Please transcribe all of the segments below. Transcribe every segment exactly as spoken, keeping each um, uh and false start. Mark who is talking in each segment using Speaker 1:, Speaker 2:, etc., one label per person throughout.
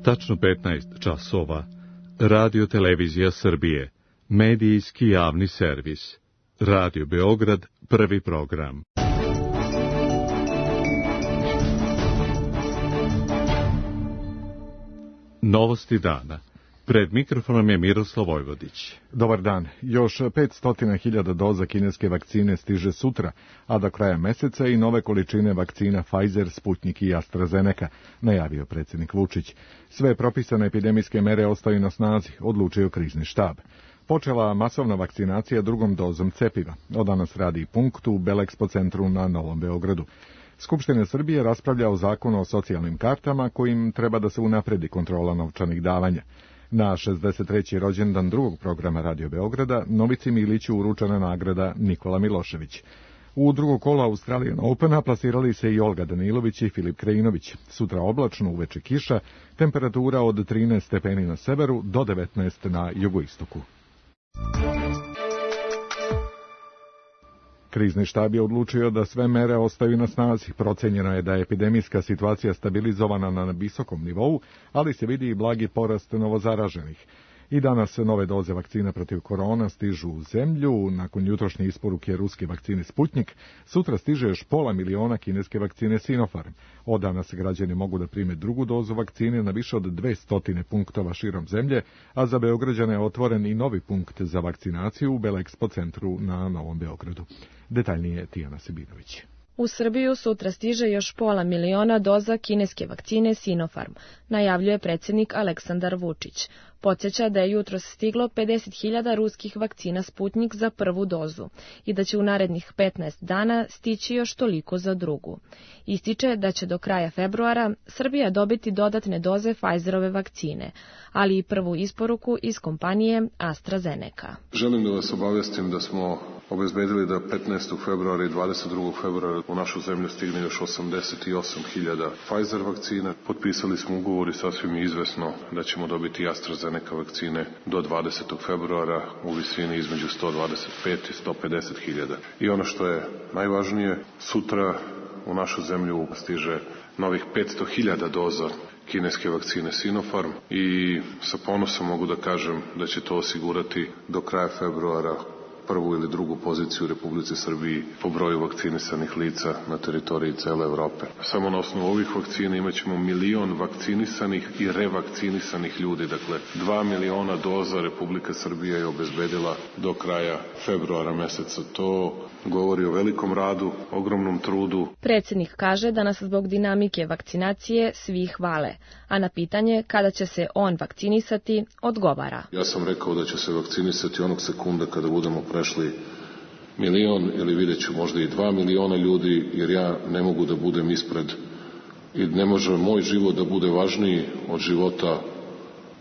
Speaker 1: Tačno petnaest časova. Radio Televizija Srbije. Medijski javni servis. Radio Beograd, prvi program. Novosti dana. Pred mikrofonom je Miroslav Vojvodić.
Speaker 2: Dobar dan. Još petsto hiljada doza kineske vakcine stiže sutra, a do kraja meseca i nove količine vakcina Pfizer, Sputnik i AstraZeneca, najavio predsjednik Vučić. Sve propisane epidemijske mere ostaju na snazi, odlučio krizni štab. Počela masovna vakcinacija drugom dozom cepiva. Od danas radi punkt u Belexpo centru na Novom Beogradu. Skupština Srbije raspravlja o zakonu o socijalnim kartama kojim treba da se unapredi kontrola novčanih davanja. Na šezdeset treći rođendan drugog programa Radio Beograda Novici Miliću uručena nagrada Nikola Milošević. U drugo kolo Australian Opena plasirali se i Olga Danilović i Filip Krajinović. Sutra oblačno, uveče kiša, temperatura od trinaest stepeni na severu do devetnaest na jugoistoku. Krizni štab je odlučio da sve mere ostaju na snazi. Procenjeno je da je epidemijska situacija stabilizovana na visokom nivou, ali se vidi i blagi porast novozaraženih. I danas nove doze vakcina protiv korona stižu u zemlju. Nakon jutrošnje isporuke ruske vakcine Sputnik, sutra stiže još pola miliona kineske vakcine Sinopharm. Od danas građani mogu da prime drugu dozu vakcine na više od dvesta punktova širom zemlje, a za Beograđane je otvoren i novi punkt za vakcinaciju u Belexpo centru na Novom Beogradu. Detaljnije Tijana Sebinović.
Speaker 3: U Srbiju sutra stiže još pola miliona doza kineske vakcine Sinopharm, najavljuje predsjednik Aleksandar Vučić. Podsjeća da je jutros stiglo pedeset hiljada ruskih vakcina Sputnik za prvu dozu i da će u narednih petnaest dana stići još toliko za drugu. Ističe da će do kraja februara Srbija dobiti dodatne doze Pfizerove vakcine, ali i prvu isporuku iz kompanije AstraZeneca.
Speaker 4: Želim da vas obavestim da smo obezbedili da petnaestog februara i dvadeset drugog februara u našu zemlju stigne još osamdeset osam hiljada Pfizer vakcina. Potpisali smo ugovor i sasvim je izvesno da ćemo dobiti AstraZeneca vakcine do dvadesetog februara u visini između sto dvadeset pet i sto pedeset hiljada. I ono što je najvažnije, sutra u našu zemlju stiže novih petsto hiljada doza kineske vakcine Sinopharm i sa ponosom mogu da kažem da će to osigurati do kraja februara prvu ili drugu poziciju u Republici Srbiji po broju vakcinisanih lica na teritoriji cele Evrope. Samo na osnovu ovih vakcina imaćemo milion vakcinisanih i revakcinisanih ljudi. Dakle, dva miliona doza Republika Srbija je obezbedila do kraja februara meseca. To govori o velikom radu, ogromnom trudu.
Speaker 3: Predsjednik kaže da nas zbog dinamike vakcinacije svi hvale, a na pitanje kada će se on vakcinisati odgovara.
Speaker 4: Ja sam rekao da će se vakcinisati onog sekunda kada budemo prešli milion ili vidjet ću možda i dva miliona ljudi, jer ja ne mogu da budem ispred i ne može moj život da bude važniji od života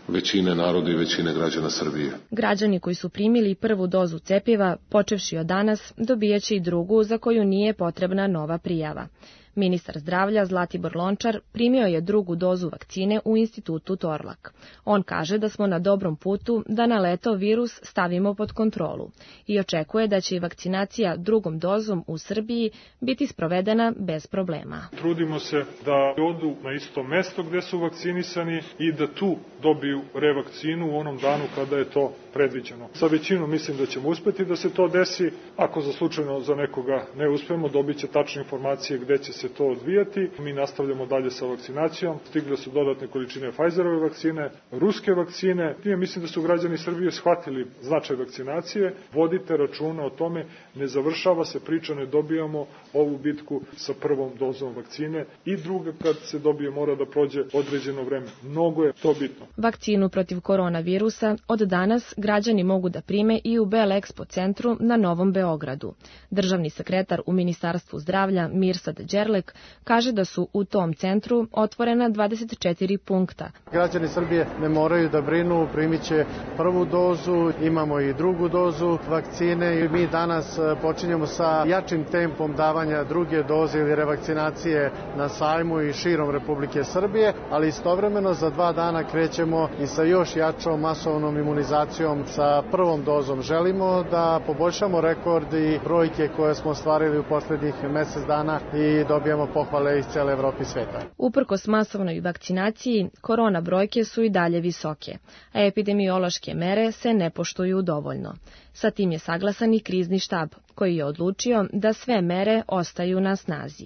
Speaker 4: većine naroda i većine građana Srbije.
Speaker 3: Građani koji su primili prvu dozu cepiva, počevši od danas, dobijaće i drugu za koju nije potrebna nova prijava. Ministar zdravlja Zlatibor Lončar primio je drugu dozu vakcine u institutu Torlak. On kaže da smo na dobrom putu da na leto virus stavimo pod kontrolu i očekuje da će i vakcinacija drugom dozom u Srbiji biti sprovedena bez problema.
Speaker 5: Trudimo se da odu na isto mesto gde su vakcinisani i da tu dobiju revakcinu u onom danu kada je to predviđeno. Sa većinom mislim da ćemo uspeti da se to desi. Ako za slučajno za nekoga ne uspemo, dobit će tačne informacije gde će se to odvijati. Mi nastavljamo dalje sa vakcinacijom. Stigle su dodatne količine Pfizerove vakcine, ruske vakcine. Ja mislim da su građani Srbije shvatili značaj vakcinacije. Vodite računa o tome, ne završava se priča, ne dobijamo ovu bitku sa prvom dozom vakcine i druga kad se dobije mora da prođe određeno vreme. Mnogo je to bitno.
Speaker 3: Vakcinu protiv koronavirusa od danas građani mogu da prime i u Belexpo centru na Novom Beogradu. Državni sekretar u Ministarstvu zdravlja Mirsad Đerlek kaže da su u tom centru otvorena dvadeset četiri punkta.
Speaker 6: Građani Srbije ne moraju da brinu, primit će prvu dozu, imamo i drugu dozu vakcine i mi danas počinjemo sa jačim tempom davanja druge doze ili revakcinacije na sajmu i širom Republike Srbije, ali istovremeno za dva dana krećemo i sa još jačom masovnom imunizacijom sa prvom dozom. Želimo da poboljšamo rekord i brojke koje smo ostvarili u poslednjih mesec dana i dobiti dobijamo pohvale iz cele Evrope i sveta.
Speaker 3: Uprkos masovnoj vakcinaciji, korona brojke su i dalje visoke, a epidemiološke mere se ne poštuju dovoljno. Sa tim je saglasan i krizni štab, koji je odlučio da sve mere ostaju na snazi.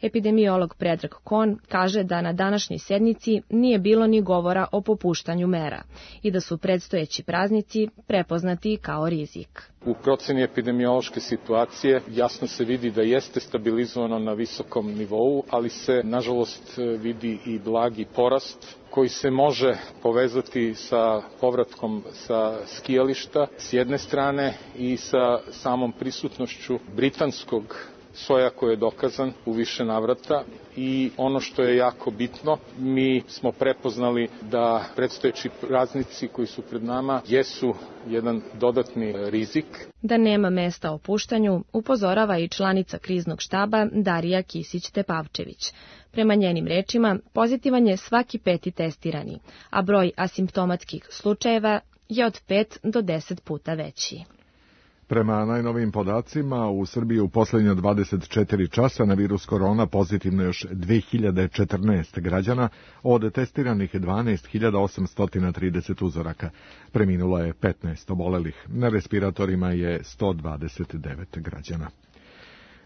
Speaker 3: Epidemiolog Predrag Kon kaže da na današnjoj sednici nije bilo ni govora o popuštanju mera i da su predstojeći praznici prepoznati kao rizik.
Speaker 7: U proceni epidemiološke situacije jasno se vidi da jeste stabilizovano na visokom nivou, ali se nažalost vidi i blagi porast koji se može povezati sa povratkom sa skijališta s jedne strane i sa samom prisutnošću britanskog soja koji je dokazan u više navrata i ono što je jako bitno, mi smo prepoznali da predstojeći praznici koji su pred nama jesu jedan dodatni rizik.
Speaker 3: Da nema mesta opuštanju, upozorava i članica kriznog štaba Darija Kisić-Tepavčević. Prema njenim rečima, pozitivan je svaki peti testirani, a broj asimptomatskih slučajeva je od pet do deset puta veći.
Speaker 2: Prema najnovijim podacima, u Srbiji u posljednja dvadeset četiri časa na virus korona pozitivno još dve hiljade četrnaest građana, od testiranih dvanaest hiljada osamsto trideset uzoraka. Preminulo je petnaest obolelih. Na respiratorima je sto dvadeset devet građana.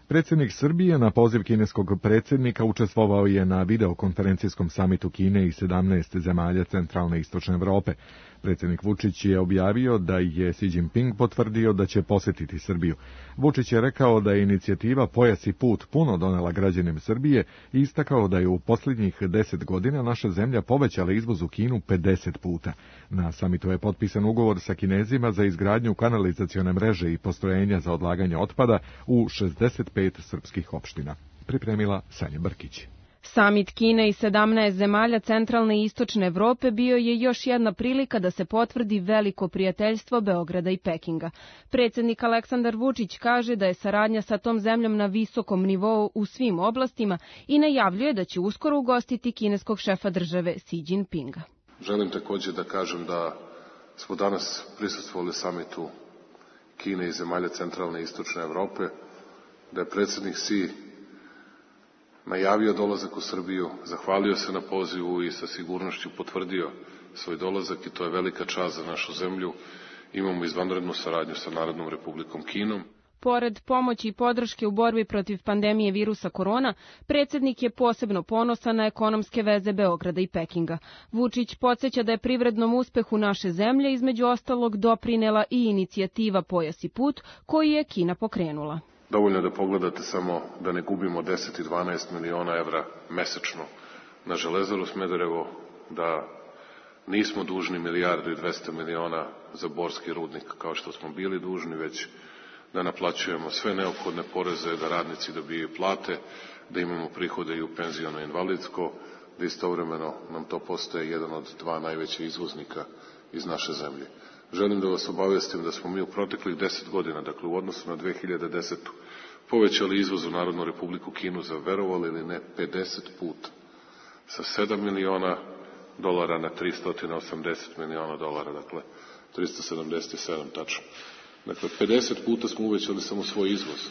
Speaker 2: Predsjednik Srbije na poziv kineskog predsjednika učestvovao je na videokonferencijskom samitu Kine i sedamnaest zemalja centralne i istočne Evrope. Predsjednik Vučić je objavio da je Xi Jinping potvrdio da će posjetiti Srbiju. Vučić je rekao da je inicijativa Pojas i put puno donela građanima Srbije i istakao da je u posljednjih deset godina naša zemlja povećala izvoz u Kinu pedeset puta. Na samitu je potpisan ugovor sa Kinezima za izgradnju kanalizacione mreže i postrojenja za odlaganje otpada u šezdeset pet srpskih opština. Pripremila Sanja Brkić.
Speaker 8: Samit Kine i sedamnaest zemalja centralne i istočne Evrope bio je još jedna prilika da se potvrdi veliko prijateljstvo Beograda i Pekinga. Predsjednik Aleksandar Vučić kaže da je saradnja sa tom zemljom na visokom nivou u svim oblastima i najavljuje da će uskoro ugostiti kineskog šefa države Xi Jinpinga.
Speaker 4: Želim također da kažem da smo danas prisustvovali samitu Kine i zemalja centralne i istočne Evrope, da je predsjednik Xi najavio dolazak u Srbiju, zahvalio se na pozivu i sa sigurnošću potvrdio svoj dolazak i to je velika čast za našu zemlju. Imamo izvanrednu saradnju sa Narodnom Republikom Kinom.
Speaker 8: Pored pomoći i podrške u borbi protiv pandemije virusa korona, predsjednik je posebno ponosan na ekonomske veze Beograda i Pekinga. Vučić podsjeća da je privrednom uspehu naše zemlje između ostalog doprinela i inicijativa Pojas i put, koju je Kina pokrenula.
Speaker 4: Dovoljno je da pogledate samo da ne gubimo deset i dvanaest miliona evra mesečno na Železaru Smederevo, da nismo dužni milijardu i dvesta miliona za Borski rudnik kao što smo bili dužni, već da naplaćujemo sve neophodne poreze, da radnici dobijaju plate, da imamo prihode i u penziono i invalidsko, da istovremeno nam to postaje jedan od dva najveća izvoznika iz naše zemlje. Želim da vas obavestim da smo mi u proteklih deset godina, dakle u odnosu na dve hiljade desetu. povećali izvoz u Narodnu Republiku Kinu za, verovali ili ne, pedeset puta. Sa sedam miliona dolara na tristo osamdeset miliona dolara, dakle tristo sedamdeset sedam tačno. Dakle, pedeset puta smo uvećali samo svoj izvoz.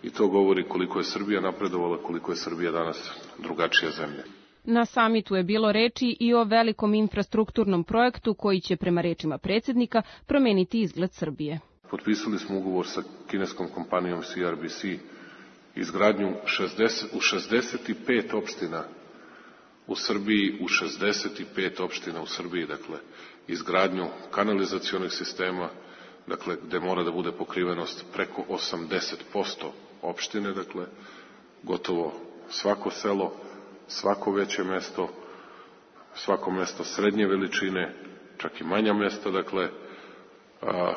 Speaker 4: I to govori koliko je Srbija napredovala, koliko je Srbija danas drugačija zemlja.
Speaker 8: Na samitu je bilo reči i o velikom infrastrukturnom projektu koji će, prema rečima predsjednika, promeniti izgled Srbije.
Speaker 4: Potpisali smo ugovor sa kineskom kompanijom C R B C, izgradnju šezdeset, u šezdeset pet opština u Srbiji, u šezdeset pet opština u Srbiji, dakle, izgradnju kanalizacionih sistema, dakle, gde mora da bude pokrivenost preko osamdeset posto opštine, dakle, gotovo svako selo, svako veće mesto, svako mesto srednje veličine, čak i manja mesta, dakle, a,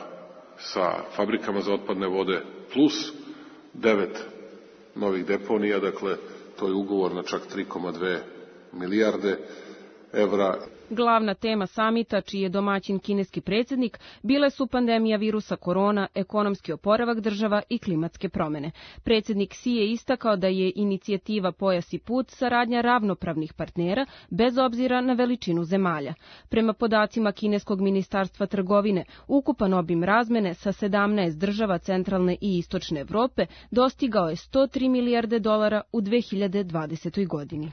Speaker 4: sa fabrikama za otpadne vode, plus devet novih deponija, dakle, to je ugovor na čak tri zarez dve milijarde. evra.
Speaker 8: Glavna tema samita, čiji je domaćin kineski predsjednik, bile su pandemija virusa korona, ekonomski oporavak država i klimatske promjene. Predsjednik Xi je istakao da je inicijativa Pojas i put saradnja ravnopravnih partnera, bez obzira na veličinu zemalja. Prema podacima kineskog ministarstva trgovine, ukupan obim razmene sa sedamnaest država centralne i istočne Evrope dostigao je sto tri milijarde dolara u dve hiljade dvadesetoj godini.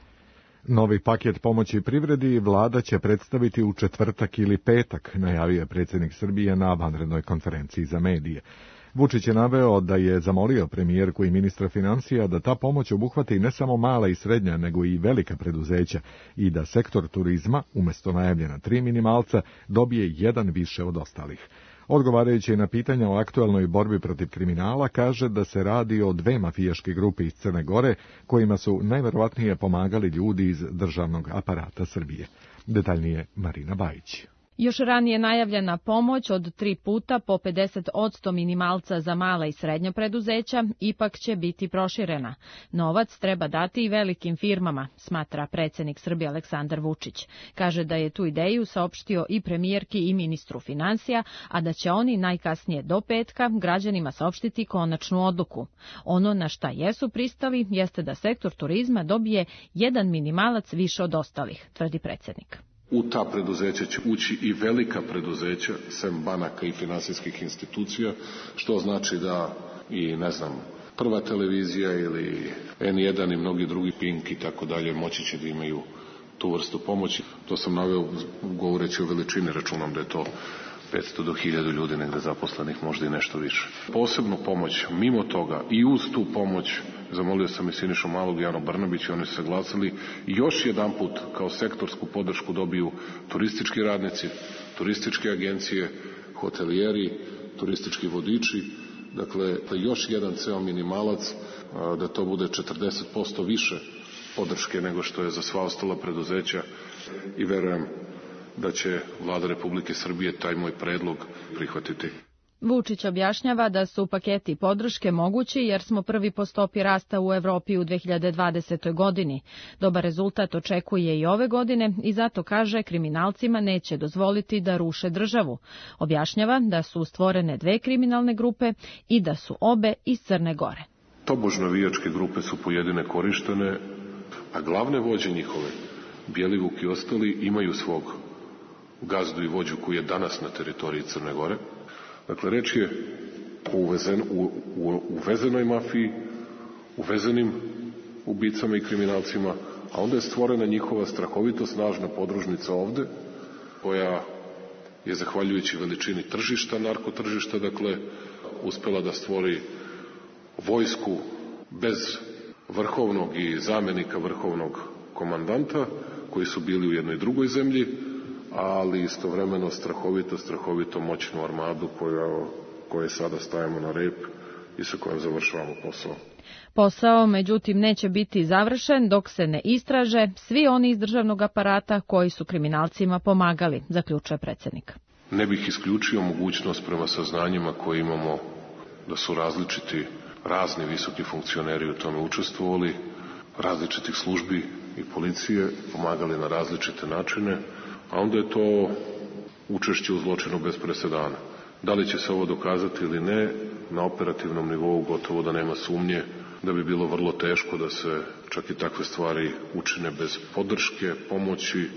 Speaker 2: Novi paket pomoći privredi vlada će predstaviti u četvrtak ili petak, najavio je predsjednik Srbije na vanrednoj konferenciji za medije. Vučić je naveo da je zamolio premijerku i ministra financija da ta pomoć obuhvati ne samo mala i srednja, nego i velika preduzeća i da sektor turizma, umjesto najavljena tri minimalca, dobije jedan više od ostalih. Odgovarajući na pitanja o aktualnoj borbi protiv kriminala, kaže da se radi o dve mafijaške grupe iz Crne Gore, kojima su najverovatnije pomagali ljudi iz državnog aparata Srbije. Detaljnije Marina Bajić.
Speaker 3: Još ranije najavljena pomoć od tri puta po pedeset posto minimalca za mala i srednja preduzeća ipak će biti proširena. Novac treba dati i velikim firmama, smatra predsjednik Srbije Aleksandar Vučić. Kaže da je tu ideju saopštio i premijerki i ministru financija, a da će oni najkasnije do petka građanima saopštiti konačnu odluku. Ono na šta jesu pristali jeste da sektor turizma dobije jedan minimalac više od ostalih, tvrdi predsjednik.
Speaker 4: U ta preduzeća će ući i velika preduzeća, sem banaka i finansijskih institucija, što znači da i, ne znam, Prva televizija ili en jedan i mnogi drugi, Pink i tako dalje, moći će da imaju tu vrstu pomoći. To sam naveo govoreći o veličini, računam da je to petsto do hiljadu ljudi negde zaposlenih, možda i nešto više. Posebnu pomoć, mimo toga i uz tu pomoć, zamolio sam i Sinišu Malog i Anu Brnabić i oni su saglasili, još jedan put kao sektorsku podršku dobiju turistički radnici, turističke agencije, hotelijeri, turistički vodiči, dakle još jedan ceo minimalac, da to bude četrdeset posto više podrške nego što je za sva ostala preduzeća i verujem da će Vlada Republike Srbije taj moj predlog prihvatiti.
Speaker 3: Vučić objašnjava da su paketi podrške mogući jer smo prvi po stopi rasta u Evropi u dve hiljade dvadesetoj godini. Dobar rezultat očekuje i ove godine i zato kaže kriminalcima neće dozvoliti da ruše državu. Objašnjava da su stvorene dve kriminalne grupe i da su obe iz Crne Gore.
Speaker 4: Tobož navijačke grupe su pojedine korištene, a glavne vođe njihove, Bjelivuk i ostali, imaju svog gazdu i vođu koji je danas na teritoriji Crne Gore. Dakle, reč je o uvezen, u, u, uvezenoj mafiji, uvezenim ubicama i kriminalcima, a onda je stvorena njihova strahovito snažna podružnica ovde, koja je, zahvaljujući veličini tržišta, narkotržišta, dakle, uspela da stvori vojsku bez vrhovnog i zamenika vrhovnog komandanta, koji su bili u jednoj drugoj zemlji, ali istovremeno strahovito, strahovito moćnu armadu koja, koje sada stajemo na rep i sa kojom završavamo posao.
Speaker 3: Posao, međutim, neće biti završen dok se ne istraže svi oni iz državnog aparata koji su kriminalcima pomagali, zaključuje predsjednik.
Speaker 4: Ne bih isključio mogućnost prema saznanjima koje imamo da su različiti, razni visoki funkcioneri u tome učestvovali, različitih službi i policije, pomagali na različite načine, a onda je to učešće u zločinu bez presedana. Da li će se ovo dokazati ili ne, na operativnom nivou gotovo da nema sumnje da bi bilo vrlo teško da se čak i takve stvari učine bez podrške, pomoći,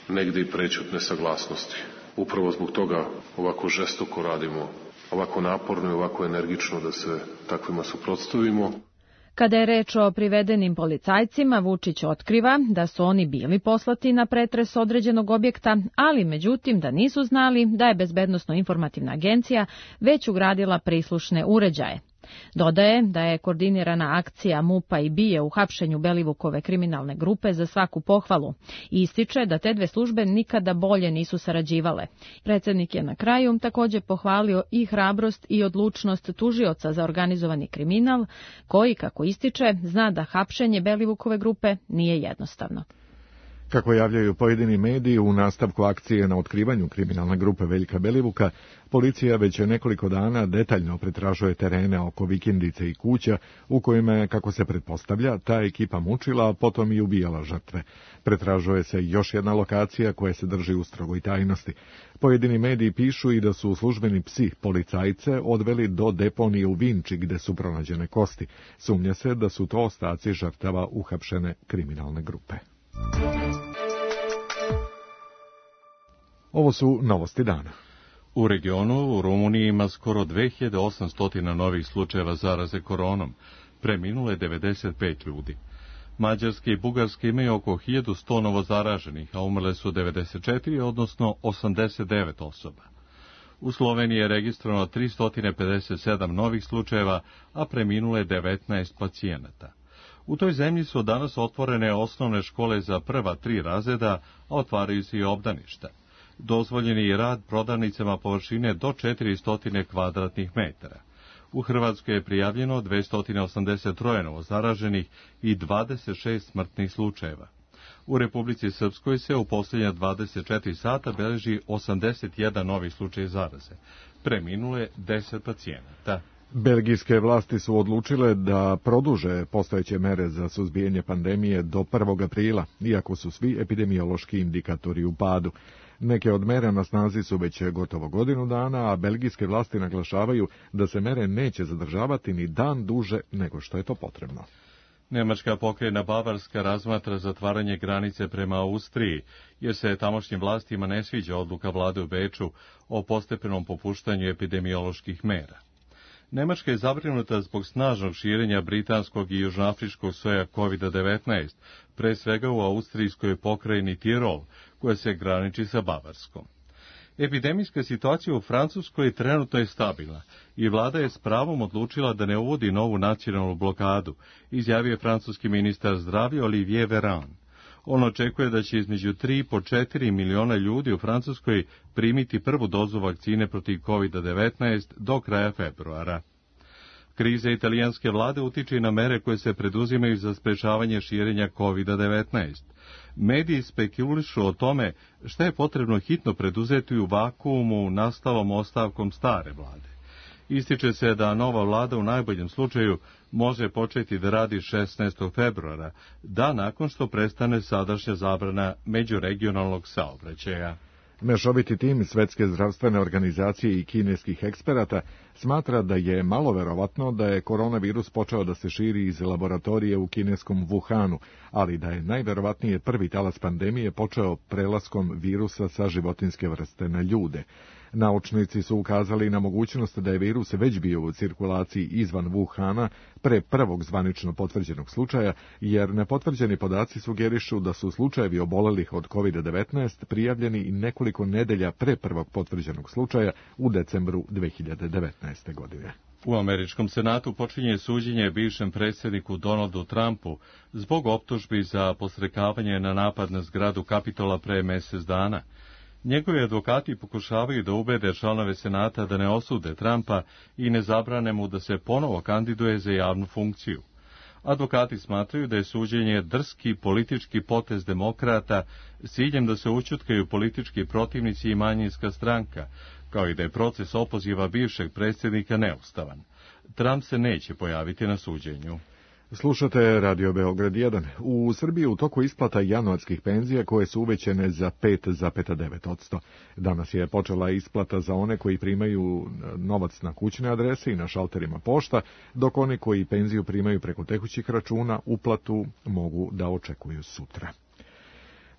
Speaker 4: negde i prećutne saglasnosti. Upravo zbog toga ovako žestoko radimo, ovako naporno i ovako energično da se takvima suprotstavimo.
Speaker 3: Kada je reč o privedenim policajcima, Vučić otkriva da su oni bili poslati na pretres određenog objekta, ali međutim da nisu znali da je Bezbednosno-informativna agencija već ugradila prislušne uređaje. Dodaje da je koordinirana akcija MUP-a i BIA u hapšenju Belivukove kriminalne grupe za svaku pohvalu i ističe da te dve službe nikada bolje nisu sarađivale. Predsjednik je na kraju također pohvalio i hrabrost i odlučnost tužioca za organizovani kriminal, koji, kako ističe, zna da hapšenje Belivukove grupe nije jednostavno.
Speaker 2: Kako javljaju pojedini mediji, u nastavku akcije na otkrivanju kriminalne grupe Veljka Belivuka, policija već nekoliko dana detaljno pretražuje terene oko vikendice i kuća u kojima je, kako se pretpostavlja, ta ekipa mučila, a potom i ubijala žrtve. Pretražuje se još jedna lokacija koja se drži u strogoj tajnosti. Pojedini mediji pišu i da su službeni psi policajce odveli do deponije u Vinči gde su pronađene kosti. Sumnja se da su to ostaci žrtava uhapšene kriminalne grupe. Ovo su novosti dana.
Speaker 1: U regionu u Rumuniji ima skoro dve hiljade osamsto novih slučajeva zaraze koronom. Preminulo je devedeset pet ljudi. Mađarske i Bugarske imaju oko hiljadu sto novozaraženih, a umrle su devedeset četiri, odnosno osamdeset devet osoba. U Sloveniji je registrovano tristo pedeset sedam novih slučajeva, a preminulo je devetnaest pacijenata. U toj zemlji su danas otvorene osnovne škole za prva tri razreda, a otvaraju se i obdaništa. Dozvoljeni je rad prodavnicama površine do četiristo kvadratnih metara. U Hrvatskoj je prijavljeno dvesta osamdeset tri novozaraženih i dvadeset šest smrtnih slučajeva. U Republici Srpskoj se u posljednja dvadeset četiri sata beleži osamdeset jedan novi slučaj zaraze. Preminulo je deset pacijenata.
Speaker 2: Belgijske vlasti su odlučile da produže postojeće mere za suzbijanje pandemije do prvog aprila, iako su svi epidemiološki indikatori u padu. Neke od mera na snazi su već gotovo godinu dana, a belgijske vlasti naglašavaju da se mere neće zadržavati ni dan duže nego što je to potrebno.
Speaker 1: Nemačka pokrajina Bavarska razmatra zatvaranje granice prema Austriji, jer se tamošnjim vlastima ne sviđa odluka vlade u Beču o postepenom popuštanju epidemioloških mera. Nemačka je zabrinuta zbog snažnog širenja britanskog i južnoafričkog soja kovid devetnaest, pre svega u austrijskoj pokrajini Tirol, koja se graniči sa Bavarskom. Epidemijska situacija u Francuskoj trenutno je stabilna i vlada je s pravom odlučila da ne uvodi novu nacionalnu blokadu, izjavio je francuski ministar zdravlja Olivier Véran. On očekuje da će između tri i po četiri miliona ljudi u Francuskoj primiti prvu dozu vakcine protiv kovid devetnaest do kraja februara. Kriza italijanske vlade utiče i na mere koje se preduzimaju za sprečavanje širenja kovid devetnaest. Mediji spekulišu o tome šta je potrebno hitno preduzeti u vakuumu nastalom ostavkom stare vlade. Ističe se da nova vlada u najboljem slučaju može početi da radi šesnaestog februara, dan nakon što prestane sadašnja zabrana međuregionalnog saobraćaja.
Speaker 2: Mešoviti tim Svetske zdravstvene organizacije i kineskih eksperata smatra da je malo verovatno da je koronavirus počeo da se širi iz laboratorije u kineskom Wuhanu, ali da je najverovatnije prvi talas pandemije počeo prelaskom virusa sa životinjske vrste na ljude. Naučnici su ukazali na mogućnost da je virus već bio u cirkulaciji izvan Wuhana pre prvog zvanično potvrđenog slučaja, jer nepotvrđeni podaci sugerišu da su slučajevi obolelih od kovid devetnaest prijavljeni i nekoliko nedelja pre prvog potvrđenog slučaja u decembru dve hiljade devetnaeste. godine.
Speaker 1: U Američkom senatu počinje suđenje bivšem predsjedniku Donaldu Trumpu zbog optužbi za posrekavanje na napad na zgradu Kapitola pre mjesec dana. Njegovi advokati pokušavaju da ubede članove senata da ne osude Trumpa i ne zabrane mu da se ponovo kandiduje za javnu funkciju. Advokati smatraju da je suđenje drski politički potez demokrata s ciljem da se ućutkaju politički protivnici i manjinska stranka, kao i da je proces opoziva bivšeg predsjednika neustavan. Trump se neće pojaviti na suđenju.
Speaker 2: Slušate Radio Beograd jedan. U Srbiji u toku isplata januarskih penzija koje su uvećane za pet zarez devet posto. Danas je počela isplata za one koji primaju novac na kućne adrese i na šalterima pošta, dok oni koji penziju primaju preko tekućih računa uplatu mogu da očekuju sutra.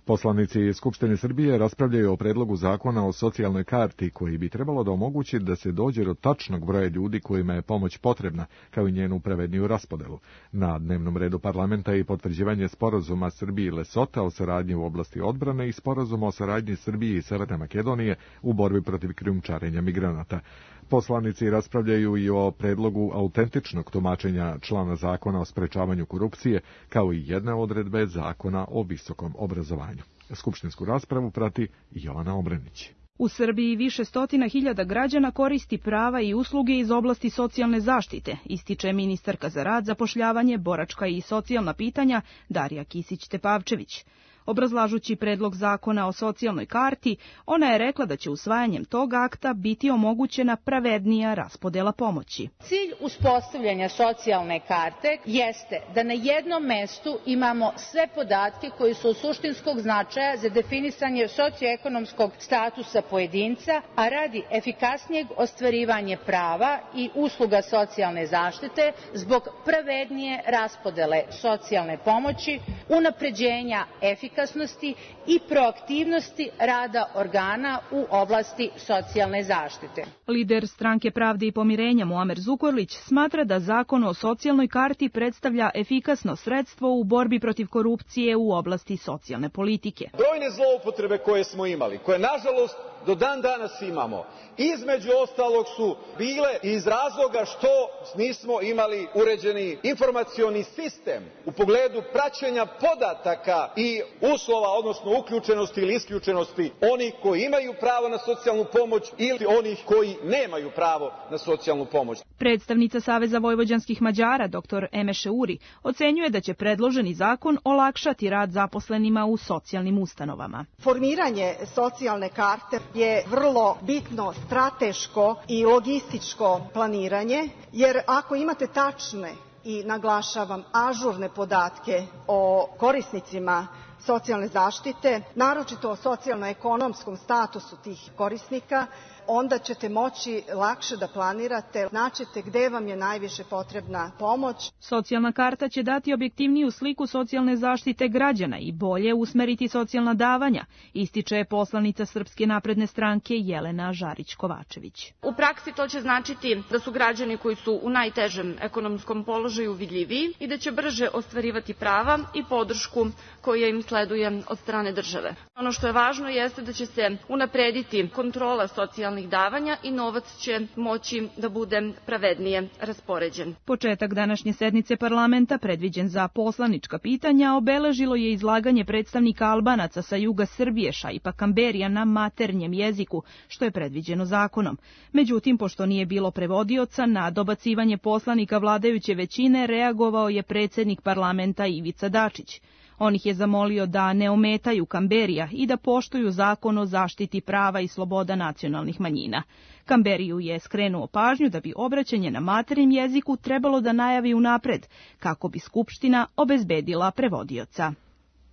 Speaker 2: Poslanici Skupštine Srbije raspravljaju o predlogu zakona o socijalnoj karti koji bi trebalo da omogući da se dođe do tačnog broja ljudi kojima je pomoć potrebna, kao i njenu pravedniju raspodelu. Na dnevnom redu parlamenta je i potvrđivanje sporazuma Srbije i Lesota o saradnji u oblasti odbrane i sporazuma o saradnji Srbije i Severne Makedonije u borbi protiv krijumčarenja migranata. Poslanici raspravljaju i o predlogu autentičnog tumačenja člana zakona o sprečavanju korupcije, kao i jedne odredbe zakona o visokom obrazovanju. Skupštinsku raspravu prati Jovana Obrenić.
Speaker 9: U Srbiji više stotina hiljada građana koristi prava i usluge iz oblasti socijalne zaštite, ističe ministarka za rad, zapošljavanje, boračka i socijalna pitanja Darija Kisić-Tepavčević. Obrazlažući predlog zakona o socijalnoj karti, ona je rekla da će usvajanjem tog akta biti omogućena pravednija raspodela pomoći.
Speaker 10: Cilj uspostavljanja socijalne karte jeste da na jednom mestu imamo sve podatke koji su od suštinskog značaja za definisanje socioekonomskog statusa pojedinca, a radi efikasnijeg ostvarivanja prava i usluga socijalne zaštite zbog pravednije raspodele socijalne pomoći, unapređenja efikasnosti i proaktivnosti rada organa u oblasti socijalne zaštite.
Speaker 9: Lider Stranke pravde i pomirenja Muamer Zukorlić smatra da zakon o socijalnoj karti predstavlja efikasno sredstvo u borbi protiv korupcije u oblasti socijalne politike.
Speaker 11: Brojne zloupotrebe koje smo imali, koje nažalost do dan danas imamo, između ostalog su bile iz razloga što nismo imali uređeni informacioni sistem u pogledu praćenja podataka i uslova, odnosno uključenosti ili isključenosti onih koji imaju pravo na socijalnu pomoć ili onih koji nemaju pravo na socijalnu pomoć.
Speaker 9: Predstavnica Saveza vojvođanskih Mađara, dr Emeše Uri, ocenjuje da će predloženi zakon olakšati rad zaposlenima u socijalnim ustanovama.
Speaker 12: Formiranje socijalne karte je vrlo bitno strateško i logističko planiranje, jer ako imate tačne i, naglašavam, ažurne podatke o korisnicima socijalne zaštite, naročito o socijalno-ekonomskom statusu tih korisnika, onda ćete moći lakše da planirate, značite gde vam je najviše potrebna pomoć.
Speaker 9: Socijalna karta će dati objektivniju sliku socijalne zaštite građana i bolje usmeriti socijalna davanja, ističe poslanica Srpske napredne stranke Jelena Žarić-Kovačević.
Speaker 13: U praksi to će značiti da su građani koji su u najtežem ekonomskom položaju vidljiviji i da će brže ostvarivati prava i podršku koja im sleduje od strane države. Ono što je važno jeste da će se unaprediti kontrola socijalnih davanja i novac će moći da bude pravednije raspoređen.
Speaker 9: Početak današnje sednice parlamenta, predviđen za poslanička pitanja, obeležilo je izlaganje predstavnika Albanaca sa juga Srbije Šaipa Kamberija na maternjem jeziku, što je predviđeno zakonom. Međutim, pošto nije bilo prevodioca, na dobacivanje poslanika vladajuće većine reagovao je predsednik parlamenta Ivica Dačić. On ih je zamolio da ne ometaju Kamberija i da poštuju zakon o zaštiti prava i sloboda nacionalnih manjina. Kamberiju je skrenuo pažnju da bi obraćanje na maternjem jeziku trebalo da najavi unapred, kako bi Skupština obezbedila prevodioca.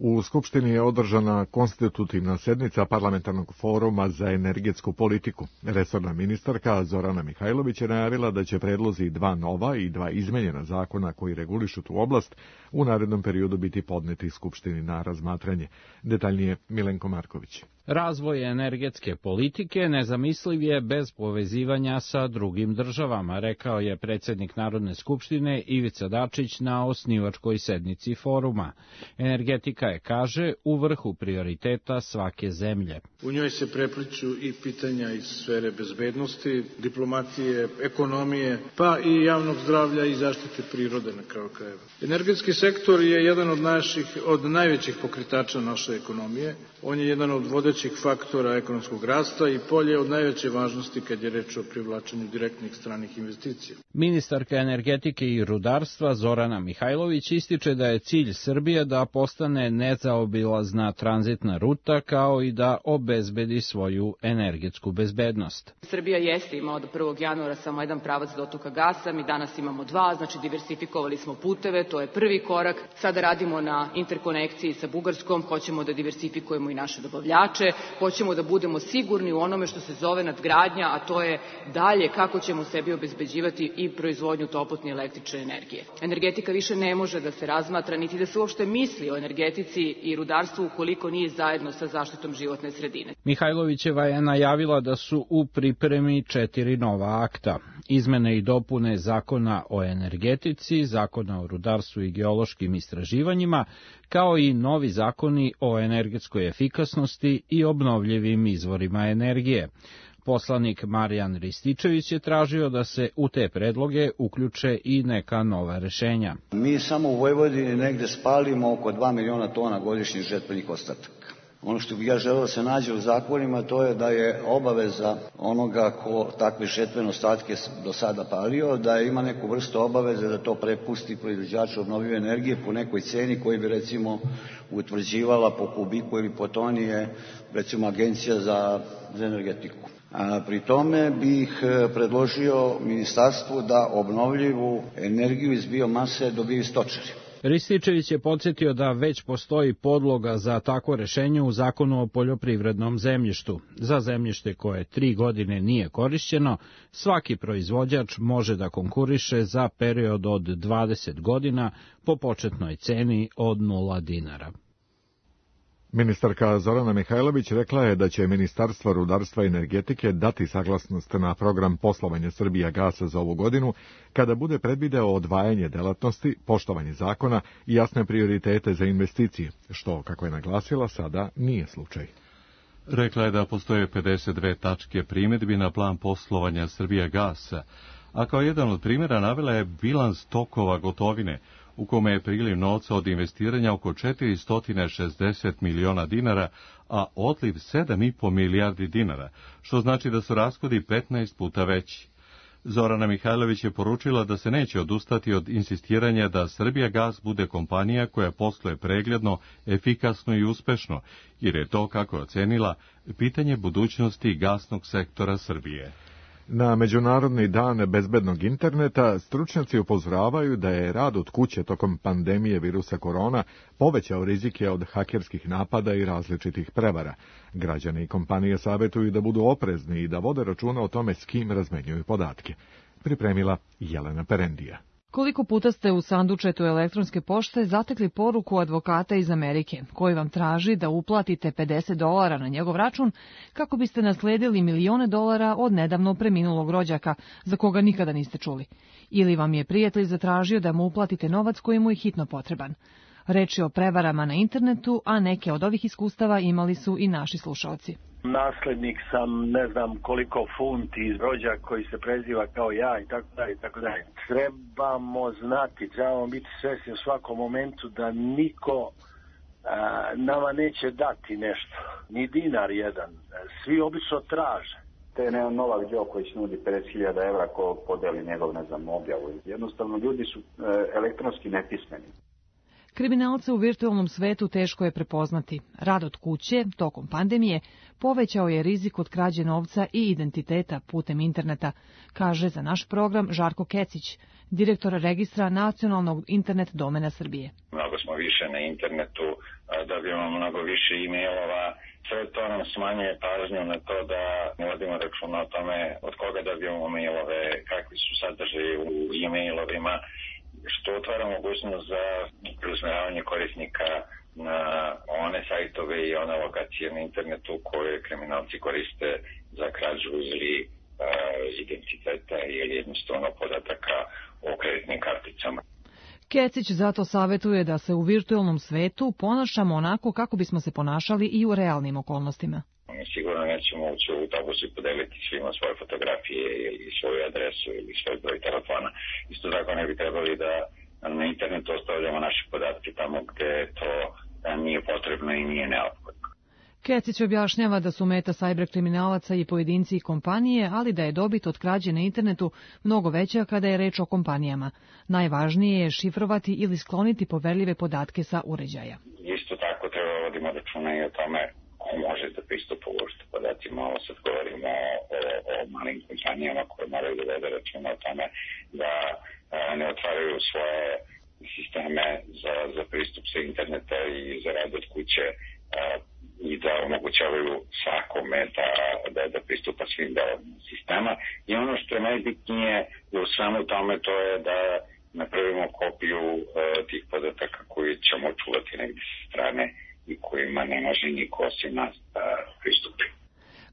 Speaker 2: U Skupštini je održana konstitutivna sednica Parlamentarnog foruma za energetsku politiku. Resorna ministarka Zorana Mihajlović je najavila da će predlozi dva nova i dva izmenjena zakona koji regulišu tu oblast u narednom periodu biti podneti Skupštini na razmatranje. Detaljnije Milenko Marković.
Speaker 14: Razvoj energetske politike nezamisliv je bez povezivanja sa drugim državama, rekao je predsjednik Narodne skupštine Ivica Dačić na osnivačkoj sednici foruma. Energetika je, kaže, u vrhu prioriteta svake zemlje.
Speaker 15: U njoj se prepliću i pitanja iz sfere bezbednosti, diplomatije, ekonomije, pa i javnog zdravlja i zaštite prirode na kraju krajeva. Energetski sektor je jedan od naših, od najvećih pokretača naše ekonomije. On je jedan od vodećih faktora ekonomskog rasta i polje od najveće važnosti kad je reč o privlačenju direktnih stranih investicija.
Speaker 14: Ministarka energetike i rudarstva Zorana Mihajlović ističe da je cilj Srbije da postane nezaobilazna tranzitna ruta kao i da obezbedi svoju energetsku bezbednost.
Speaker 16: Srbija jeste imala do prvog januara samo jedan pravac dotoka gasa, mi danas imamo dva, znači diversifikovali smo puteve, to je prvi korak. Sada radimo na interkonekciji sa Bugarskom, hoćemo da diversifikujemo i naše dobavljače, hoćemo da budemo sigurni u onome što se zove nadgradnja, a to je dalje kako ćemo sebi obezbeđivati i proizvodnju toplotne električne energije. Energetika više ne može da se razmatra, niti da se uopšte misli o energetici i rudarstvu ukoliko nije zajedno sa zaštitom životne sredine.
Speaker 14: Mihajlovićeva je najavila da su u pripremi četiri nova akta. Izmene i dopune Zakona o energetici, Zakona o rudarstvu i geološkim istraživanjima, kao i novi zakoni o energetskoj efikasnosti i obnovljivim izvorima energije. Poslanik Marijan Rističević je tražio da se u te predloge uključe i neka nova rešenja.
Speaker 17: Mi samo u Vojvodini negde spalimo oko dva miliona tona godišnjih žetvenih ostataka. Ono što bih ja želeo da se nađe u zakonima, to je da je obaveza onoga ko takve žetvene ostatke do sada palio, da ima neku vrstu obaveze da to prepusti proizvođaču obnovljive energije po nekoj ceni koji bi recimo utvrđivala po kubiku ili po toni je recimo Agencija za, za energetiku. A pri tome bih predložio ministarstvu da obnovljivu energiju iz biomase dobiju stočari.
Speaker 14: Rističević je podsjetio da već postoji podloga za takvo rešenje u Zakonu o poljoprivrednom zemljištu. Za zemljište koje tri godine nije korišćeno, svaki proizvođač može da konkuriše za period od dvadeset godina po početnoj ceni od nula dinara.
Speaker 2: Ministarka Zorana Mihajlović rekla je da će Ministarstvo rudarstva i energetike dati saglasnost na program poslovanja Srbijagasa za ovu godinu, kada bude predvideo odvajanje delatnosti, poštovanje zakona i jasne prioritete za investicije, što, kako je naglasila, sada nije slučaj.
Speaker 1: Rekla je da postoje pedeset dve tačke primedbi na plan poslovanja Srbijagasa, a kao jedan od primjera navela je bilans tokova gotovine, u kome je priliv novca od investiranja oko četiristo šezdeset miliona dinara, a odliv sedam i po milijardi dinara, što znači da su rashodi petnaest puta veći. Zorana Mihajlović je poručila da se neće odustati od insistiranja da Srbijagas bude kompanija koja posluje pregledno, efikasno i uspešno, jer je to, kako je ocenila, pitanje budućnosti gasnog sektora Srbije.
Speaker 2: Na Međunarodni dan bezbednog interneta stručnjaci upozoravaju da je rad od kuće tokom pandemije virusa korona povećao rizike od hakerskih napada i različitih prevara. Građani i kompanije savjetuju da budu oprezni i da vode računa o tome s kim razmenjuju podatke. Pripremila Jelena Perendija.
Speaker 18: Koliko puta ste u sandučetu elektronske pošte zatekli poruku advokata iz Amerike, koji vam traži da uplatite pedeset dolara na njegov račun kako biste nasledili milione dolara od nedavno preminulog rođaka, za koga nikada niste čuli? Ili vam je prijatelj zatražio da mu uplatite novac koji mu je hitno potreban? Reč je o prevarama na internetu, a neke od ovih iskustava imali su i naši slušalci.
Speaker 19: Naslednik sam ne znam koliko funti iz rođaka koji se preziva kao ja i tako dalje i tako dalje. Trebamo znati, trebamo biti svesni u svakom momentu da niko a, nama neće dati nešto, ni dinar jedan. Svi obično traže.
Speaker 20: To je jedan Novak Đoković nudi pedeset hiljada evra ko podeli njegov, ne znam, objavu. Jednostavno ljudi su e, elektronski nepismeni.
Speaker 18: Kriminalce u virtualnom svetu teško je prepoznati. Rad od kuće, tokom pandemije, povećao je rizik od krađe novca i identiteta putem interneta, kaže za naš program Žarko Kecić, direktor registra Nacionalnog internet domena Srbije.
Speaker 21: Mnogo smo više na internetu, dobijemo mnogo više e-mailova, sve to nam smanjuje pažnju na to da vodimo računa o tome od koga dobijemo mailove, kakvi su sadržaji u e-mailovima, što otvara mogućnost za preusmeravanje korisnika na one sajtove i one lokacije na internetu koje kriminalci koriste za krađu ili uh, identiteta ili jednostavno podataka o kreditnim karticama.
Speaker 18: Kecić zato savjetuje da se u virtualnom svetu ponašamo onako kako bismo se ponašali i u realnim okolnostima.
Speaker 21: Sigurno nećemo ući u autobus i podeliti svima svoje fotografije ili svoju adresu ili svoj broj telefona. Isto tako ne bi trebali da na internetu ostavljamo naše podatke tamo gde to nije potrebno i nije neophodno.
Speaker 18: Kecić objašnjava da su meta sajber kriminalaca i pojedinci i kompanije, ali da je dobit od krađe na internetu mnogo veća kada je reč o kompanijama. Najvažnije je šifrovati ili skloniti poverljive podatke sa uređaja.
Speaker 21: Isto tako treba vodimo računa i o tome ko može da pristupa uopšte podacima. Ovo sad govorimo o, o malim kompanijama koje moraju da vode računa o tome da a, ne otvaraju svoje sisteme za, za pristup sa interneta i za rad od kuće a, i da omogućavaju svakome da, da, da pristupa svim delovima sistema. I ono što je najbitnije u svemu tome to je da napravimo kopiju a, tih podataka koji ćemo čuvati negdje sa strane i kojima ne može niko osim nas da pristupi.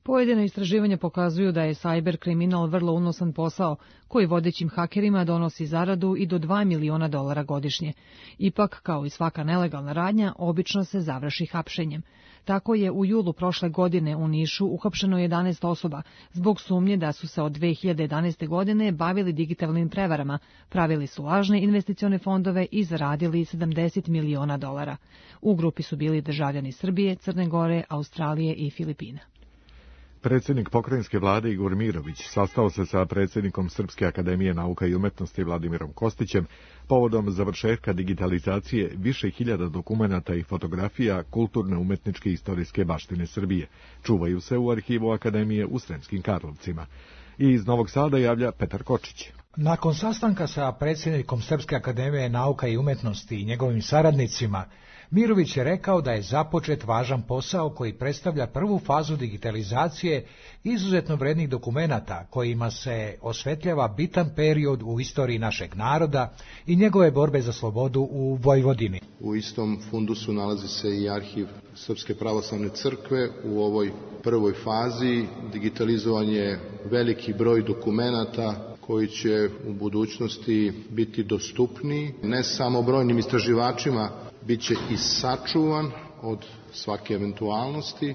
Speaker 18: Pojedina istraživanja pokazuju da je sajber kriminal vrlo unosan posao, koji vodećim hakerima donosi zaradu i do dva miliona dolara godišnje. Ipak, kao i svaka nelegalna radnja, obično se završi hapšenjem. Tako je u julu prošle godine u Nišu uhapšeno jedanaest osoba zbog sumnje da su se od dve hiljade jedanaeste. godine bavili digitalnim prevarama, pravili su lažne investicione fondove i zaradili sedamdeset miliona dolara. U grupi su bili državljani Srbije, Crne Gore, Australije i Filipina.
Speaker 2: Predsjednik pokrajinske vlade Igor Mirović sastao se sa predsjednikom Srpske akademije nauka i umetnosti Vladimirom Kostićem povodom završetka digitalizacije više hiljada dokumenata i fotografija kulturne, umetničke i istorijske baštine Srbije. Čuvaju se u arhivu akademije u Sremskim Karlovcima. I iz Novog Sada javlja Petar Kočić.
Speaker 5: Nakon sastanka sa predsjednikom Srpske akademije nauka i umetnosti i njegovim saradnicima, Mirović je rekao da je započet važan posao koji predstavlja prvu fazu digitalizacije izuzetno vrednih dokumenata kojima se osvetljava bitan period u istoriji našeg naroda i njegove borbe za slobodu u Vojvodini.
Speaker 22: U istom fundusu nalazi se i arhiv Srpske pravoslavne crkve. U ovoj prvoj fazi digitalizovan je veliki broj dokumenata koji će u budućnosti biti dostupniji ne samo brojnim istraživačima, bit će i sačuvan od svake eventualnosti,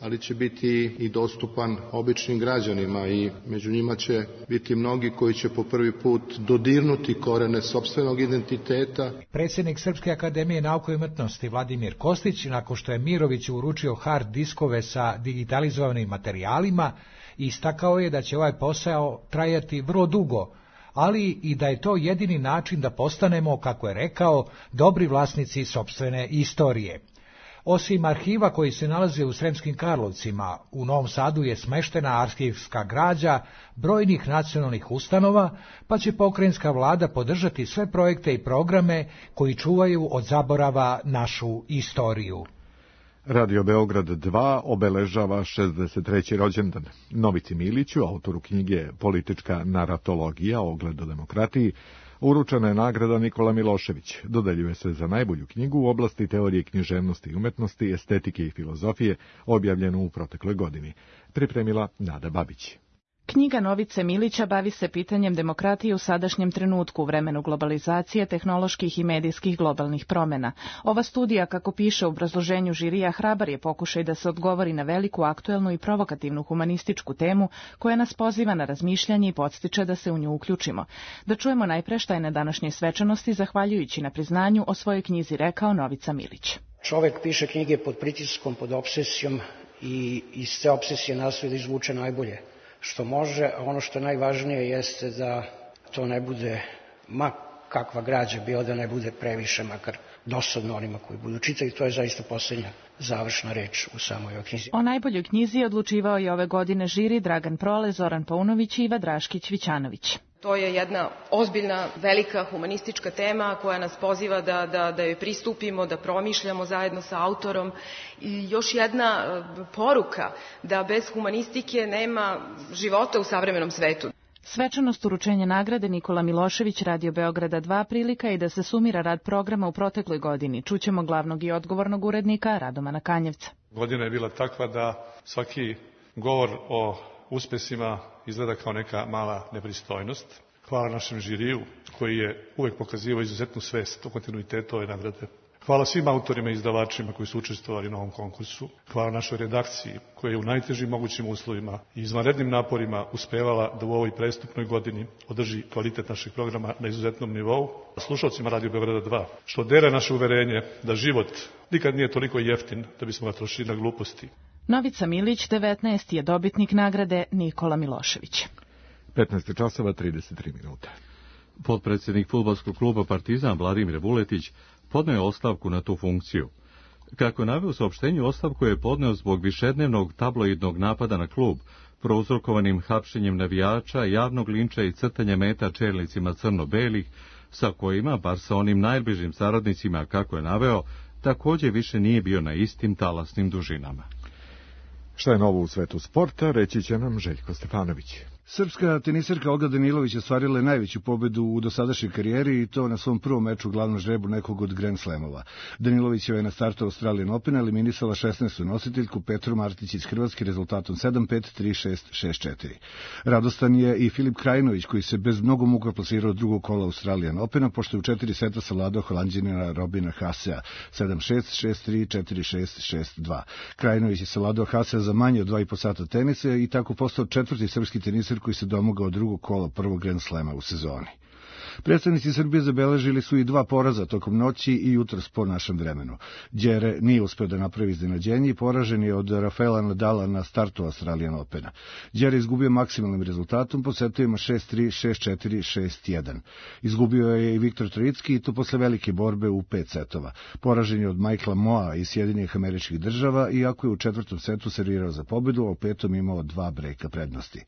Speaker 22: ali će biti i dostupan običnim građanima i među njima će biti mnogi koji će po prvi put dodirnuti korene sopstvenog identiteta.
Speaker 5: Predsjednik Srpske akademije nauke i umetnosti Vladimir Kostić, nakon što je Miroviću uručio hard diskove sa digitalizovanim materijalima, istakao je da će ovaj posao trajati vrlo dugo, ali i da je to jedini način da postanemo, kako je rekao, dobri vlasnici sopstvene istorije. Osim arhiva koji se nalaze u Sremskim Karlovcima, u Novom Sadu je smeštena arhivska građa brojnih nacionalnih ustanova, pa će pokrajinska vlada podržati sve projekte i programe koji čuvaju od zaborava našu istoriju.
Speaker 2: Radio Beograd dva obeležava šezdeset treći rođendan. Novici Miliću, autoru knjige Politička naratologija, ogled o demokratiji, uručena je nagrada Nikola Milošević. Dodeljuje se za najbolju knjigu u oblasti teorije književnosti i umetnosti, estetike i filozofije, objavljenu u protekloj godini. Pripremila Nada Babić.
Speaker 23: Knjiga Novice Milića bavi se pitanjem demokratije u sadašnjem trenutku u vremenu globalizacije, tehnoloških i medijskih globalnih promjena. Ova studija, kako piše u obrazloženju žirija, hrabar je pokušaj da se odgovori na veliku, aktuelnu i provokativnu humanističku temu koja nas poziva na razmišljanje i podstiče da se u nju uključimo. Da čujemo najpre šta je na današnjoj svečanosti, zahvaljujući na priznanju, o svojoj knjizi rekao Novica Milić.
Speaker 24: Čovek piše knjige pod pritiskom, pod obsesijom i iz te obsesije nastoji da izvuče najbolje što može, a ono što je najvažnije jeste da to ne bude, ma kakva građa bila, da ne bude previše, makar dosadno onima koji budu čitali. To je zaista posljednja završna reč u samoj ovoj knjizi.
Speaker 23: O najboljoj knjizi odlučivao je ove godine žiri Dragan Prole, Zoran Paunović i Iva Draškić-Vićanović.
Speaker 25: To je jedna ozbiljna, velika humanistička tema koja nas poziva da, da, da joj pristupimo, da promišljamo zajedno sa autorom. I još jedna poruka da bez humanistike nema života u savremenom svetu.
Speaker 23: Svečanost uručenja nagrade Nikola Milošević, Radio Beograda dva, prilika i da se sumira rad programa u protekloj godini. Čućemo glavnog i odgovornog urednika Radomana Kanjevca.
Speaker 26: Godina je bila takva da svaki govor o uspesima izgleda kao neka mala nepristojnost. Hvala našem žiriju koji je uvek pokazivao izuzetnu svest o kontinuitetu ove nagrade. Hvala svim autorima i izdavačima koji su učestvovali na ovom konkursu. Hvala našoj redakciji koja je u najtežim mogućim uslovima i izvanrednim naporima uspevala da u ovoj prestupnoj godini održi kvalitet našeg programa na izuzetnom nivou. Slušalcima Radio Beograda dva, što dele naše uverenje da život nikad nije toliko jeftin da bismo ga trošili na gluposti.
Speaker 23: Novica Milić, devetnaesti, je dobitnik nagrade Nikola Milošević.
Speaker 2: petnaest časova trideset tri minuta.
Speaker 1: Potpredsjednik fudbalskog kluba Partizan Vladimir Vuletić podneo je ostavku na tu funkciju. Kako je naveo u saopštenju, ostavku je podneo zbog višednevnog tabloidnog napada na klub, prouzrokovanim hapšenjem navijača, javnog linča i crtanja meta čelnicima crno-belih, sa kojima, bar sa onim najbližim saradnicima, kako je naveo, također više nije bio na istim talasnim dužinama.
Speaker 2: Šta je novo u svetu sporta, reći će nam Željko Stefanović.
Speaker 3: Srpska tenisarka Olga Danilović ostvarila je najveću pobedu u dosadašnjoj karijeri i to na svom prvom meču u glavnom žrebu nekog od Grand Slamova. Danilović je na startu Australian Opena eliminisala šesnaestu nositeljku Petru Martić iz Hrvatske rezultatom sedam pet, tri šest, šest četiri. Radostan je i Filip Krajinović koji se bez mnogo muka plasirao od drugog kola Australian Opena pošto je u četiri seta savladao Holanđanina Robina Haasea sedam šest, šest tri, četiri šest, šest dva. Krajinović je savladao Haasea za manje od dva i po sata tenisa i tako postao četvrti srpski tenisar koji se domogao drugog kola prvog Grand Slema u sezoni. Predstavnici Srbije zabeležili su i dva poraza tokom noći i jutros po našem vremenu. Đere nije uspeo da napravi iznenađenje i poražen je od Rafaela Nadala na startu Australian Opena. Đere izgubio maksimalnim rezultatom po setovima šest tri, šest četiri, šest jedan. Izgubio je i Viktor Trojicki i to posle velike borbe u pet setova. Poražen je od Michaela Moa iz Sjedinjenih Američkih Država, iako je u četvrtom setu servirao za pobedu, a u petom imao dva brejka prednosti.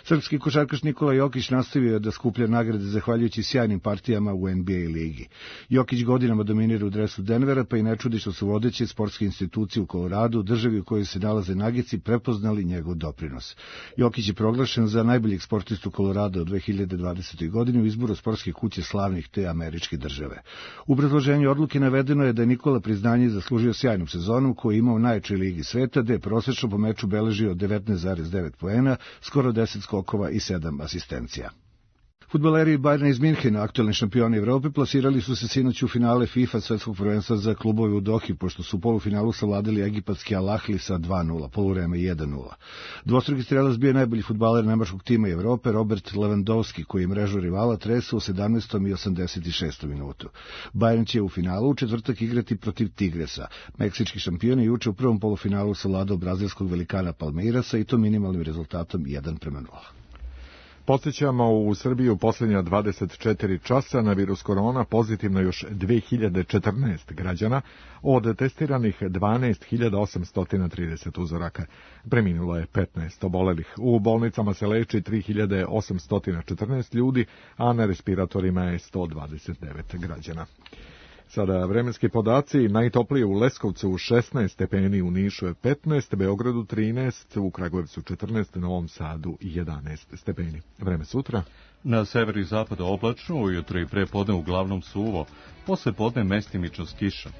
Speaker 3: Srpski košarkaš Nikola Jokić nastavio da skuplja nagrade zahvaljujući sjajnim partijama u N B A ligi. Jokić godinama dominira u dresu Denvera, pa i ne čudi što su vodeće sportske institucije u Koloradu, državi u kojoj se nalaze Nagici, prepoznali njegov doprinos. Jokić je proglašen za najboljeg sportistu Kolorada u dve hiljade dvadesetoj. godini u izboru sportske kuće slavnih te američke države. U obrazloženju odluke navedeno je da je Nikola priznanje zaslužio sjajnu sezonu koju je imao u najjačoj ligi sveta, gde je prosečno po meču beležio devetnaest zarez devet poena, skoro deset skokova i sedam asistencija. Fudbaleri Bayerna iz Minhena, aktuelni šampioni Evrope, plasirali su se sinoć u finale FIFA svetskog prvenstva za klubove u Dohi, pošto su u polufinalu savladali egipatski Al Ahly sa dva nula, poluvreme jedan nula. Dvostruki strelac bio je najbolji fudbaler nemačkog tima Evrope, Robert Lewandowski, koji je mrežu rivala tresao u sedamnaestom i osamdeset šestom minutu. Bayern će u finalu u četvrtak igrati protiv Tigresa. Meksički šampion je juče u prvom polufinalu savladao brazilskog velikana Palmeirasa i to minimalnim rezultatom jedan prema nula.
Speaker 2: Podsjećamo, u Srbiji u posljednja dvadeset četiri časa na virus korona pozitivno još dve hiljade četrnaest građana, od testiranih dvanaest hiljada osamsto trideset uzoraka. Preminulo je petnaest obolelih. U bolnicama se leči tri hiljade osamsto četrnaest ljudi, a na respiratorima je sto dvadeset devet građana. Sada vremenski podaci, najtoplije u Leskovcu u šesnaest stepeni, u Nišu je petnaest, Beogradu trinaest, u Kragujevcu četrnaest, Novom Sadu jedanaest stepeni. Vreme sutra.
Speaker 1: Na severu i zapadu oblačno, ujutro i prepodne uglavnom suvo, posle podne mestimično s kišom.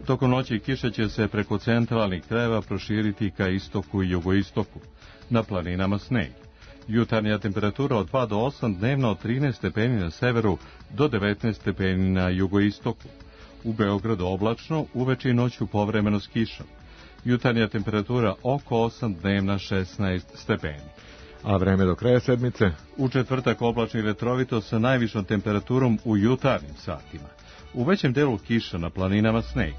Speaker 1: Tokom noći kiša će se preko centralnih krajeva proširiti ka istoku i jugoistoku. Na planinama sneg. Jutarnja temperatura od dva do osam, dnevno od trinaest stepeni na severu do devetnaest stepeni na jugoistoku. U Beogradu oblačno, uveče i noću povremeno s kišom. Jutarnja temperatura oko osam, dnevna šesnaest stepeni.
Speaker 2: A vreme do kraja sedmice?
Speaker 1: U četvrtak oblačno i vetrovito sa najvišom temperaturom u jutarnjim satima. U većem delu kiša, na planinama sneg.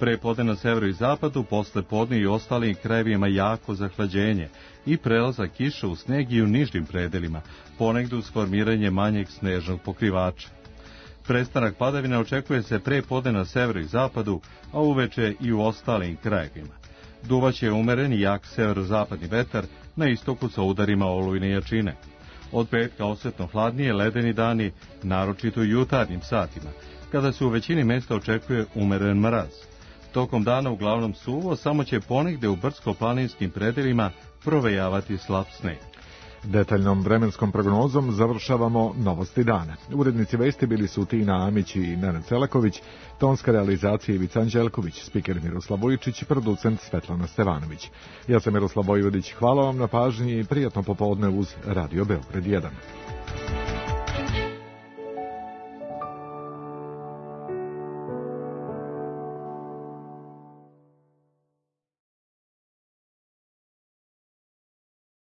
Speaker 1: Prepodne na severu i zapadu, posle podne i ostalim krajevima jako zahlađenje i prelazak kiša u sneg i u nižim predelima, ponegde uz formiranje manjeg snežnog pokrivača. Prestanak padavina očekuje se prepodne na severu i zapadu, a uveče i u ostalim krajevima. Duvaće umeren i jak severozapadni vetar, na istoku sa udarima olujne jačine. Od petka osetno hladnije ledeni dani, naročito u jutarnjim satima, kada se u većini mesta očekuje umeren mraz. Tokom dana uglavnom suvo, samo će ponegde u brdsko-planinskim predelima provejavati slab sneg.
Speaker 2: Detaljnom vremenskom prognozom završavamo novosti dana. Urednici vesti bili su Tina Amić i Nenad Selaković, tonska realizacija Ivica Anđelković, spiker Miroslav Vujčić, producent Svetlana Stevanović. Ja sam Miroslav Vojvodić, hvala vam na pažnji i prijatno popodne uz Radio Beograd jedan.